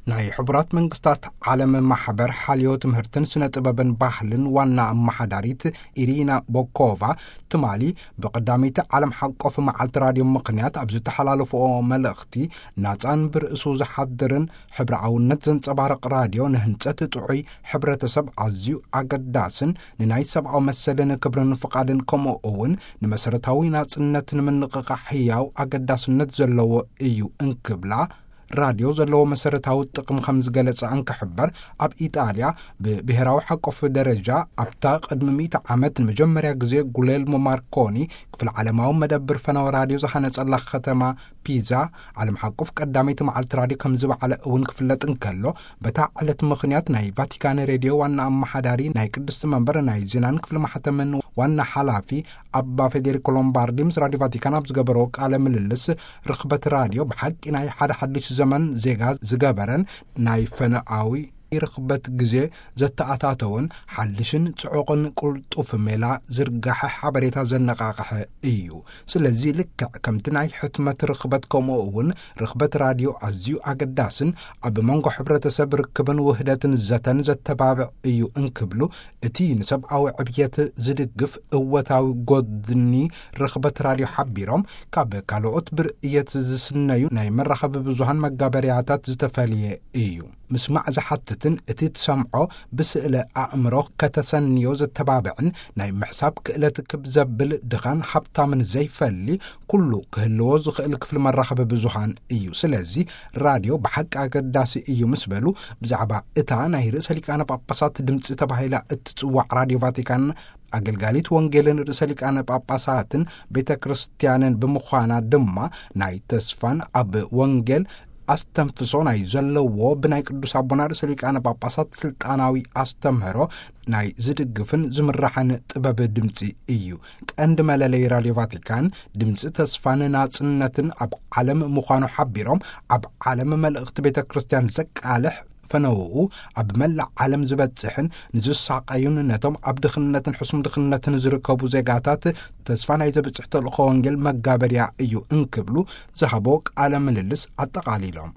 ናይ ሕቡራት መንግስታት ዓለም ማሕበር ሓልዮ ትምህርትን ስነ ጥበብን ባህልን ዋና ኣመሓዳሪት ኢሪና ቦኮቫ፣ ትማሊ ብቐዳመይቲ ዓለም ሓቆፍ መዓልቲ ራድዮ ምኽንያት ኣብ ዝተሓላለፍኦ መልእኽቲ፣ ናጻን ብርእሱ ዝሓድርን ሕብረኣውነት ዘንጸባርቕ ራድዮ ንህንጸት ጥዑይ ሕብረተሰብ ኣዝዩ ኣገዳስን፣ ንናይ ሰብኣዊ መሰልን ክብርን ፍቓድን፣ ከምኡ እውን ንመሰረታዊ ናጽነት ንምንቕቓሕ ህያው ኣገዳስነት ዘለዎ እዩ እንክብላ፣ ራድዮ ዘለዎ መሰረታዊ ጥቕሚ ከም ዝገለጸ እንክሕበር፣ ኣብ ኢጣልያ ብብሔራዊ ሓቆፍ ደረጃ ኣብታ ቅድሚ ሚእቲ ዓመት ንመጀመርያ ግዜ ጉሌልሞ ማርኮኒ ክፍለ ዓለማዊ መደብር ፈነወ ራድዮ ዝሃነጸላ ከተማ ፒዛ፣ ዓለም ሓቆፍ ቀዳመይቲ መዓልቲ ራድዮ ከም ዝበዓለ እውን ክፍለጥ እንከሎ፣ በታ ዕለት ምኽንያት ናይ ቫቲካን ሬድዮ ዋና ኣመሓዳሪ፣ ናይ ቅድስቲ መንበር ናይ ዜናን ክፍሊ ማሕተምን ዋና ሓላፊ ኣባ ፌዴሪኮ ሎምባርዲ ምስ ራድዮ ቫቲካን ኣብ ዝገበሮ ቃለ ምልልስ፣ ርኽበት ራድዮ ብሓቂ ናይ ሓደ ሓድሽ ዘመን ዜጋ ዝገበረን፣ ናይ ፈነኣዊ ርኽበት ግዜ ዘተኣታተወን፣ ሓድሽን ጽዑቕን ቅልጡፍ ሜላ ዝርጋሐ ሓበሬታ ዘነቓቕሐ እዩ። ስለዚ ልክዕ ከምቲ ናይ ሕትመት ርኽበት፣ ከምኡ እውን ርኽበት ራድዮ ኣዝዩ ኣገዳስን ኣብ መንጎ ሕብረተሰብ ርክብን ውህደትን ዘተን ዘተባብዕ እዩ እንክብሉ፣ እቲ ንሰብኣዊ ዕብየት ዝድግፍ እወታዊ ጎድኒ ርኽበት ራድዮ ሓቢሮም፣ ካብ ካልኦት ብርእየት ዝስነዩ ናይ መራኸቢ ብዙሃን መጋበርያታት ዝተፈልየ እዩ። ምስማዕ ዝሓትትን እቲ ትሰምዖ ብስእለ ኣእምሮ ከተሰንዮ ዘተባብዕን፣ ናይ ምሕሳብ ክእለት ክብ ዘብል፣ ድኻን ሃብታምን ዘይፈሊ፣ ኩሉ ክህልዎ ዝኽእል ክፍሊ መራኸቢ ብዙሃን እዩ። ስለዚ ራድዮ ብሓቂ ኣገዳሲ እዩ ምስ በሉ፣ ብዛዕባ እታ ናይ ርእሰ ሊቃነ ጳጳሳት ድምፂ ተባሂላ እትጽዋዕ ራድዮ ቫቲካን፣ ኣገልጋሊት ወንጌልን ርእሰ ሊቃነ ጳጳሳትን ቤተ ክርስቲያንን ብምዃና ድማ፣ ናይ ተስፋን ኣብ ወንጌል ኣስተንፍሶ ናይ ዘለዎ፣ ብናይ ቅዱስ ኣቦና ርእሰ ሊቃነ ጳጳሳት ስልጣናዊ ኣስተምህሮ ናይ ዝድግፍን ዝምራሕን ጥበብ ድምፂ እዩ። ቀንዲ መለለይ ራድዮ ቫቲካን ድምፂ ተስፋን ናጽነትን ኣብ ዓለም ምዃኑ ሓቢሮም፣ ኣብ ዓለም መልእኽቲ ቤተ ክርስቲያን ዘቃልሕ፣ ፈነውኡ ኣብ መላእ ዓለም ዝበጽሕን ንዝሳቐዩን ነቶም ኣብ ድኽነትን ሕሱም ድኽነትን ዝርከቡ ዜጋታት ተስፋ ናይ ዘብጽሕ ተልእኾ ወንጌል መጋበርያ እዩ እንክብሉ ዝሃቦ ቃለ ምልልስ ኣጠቓሊሎም።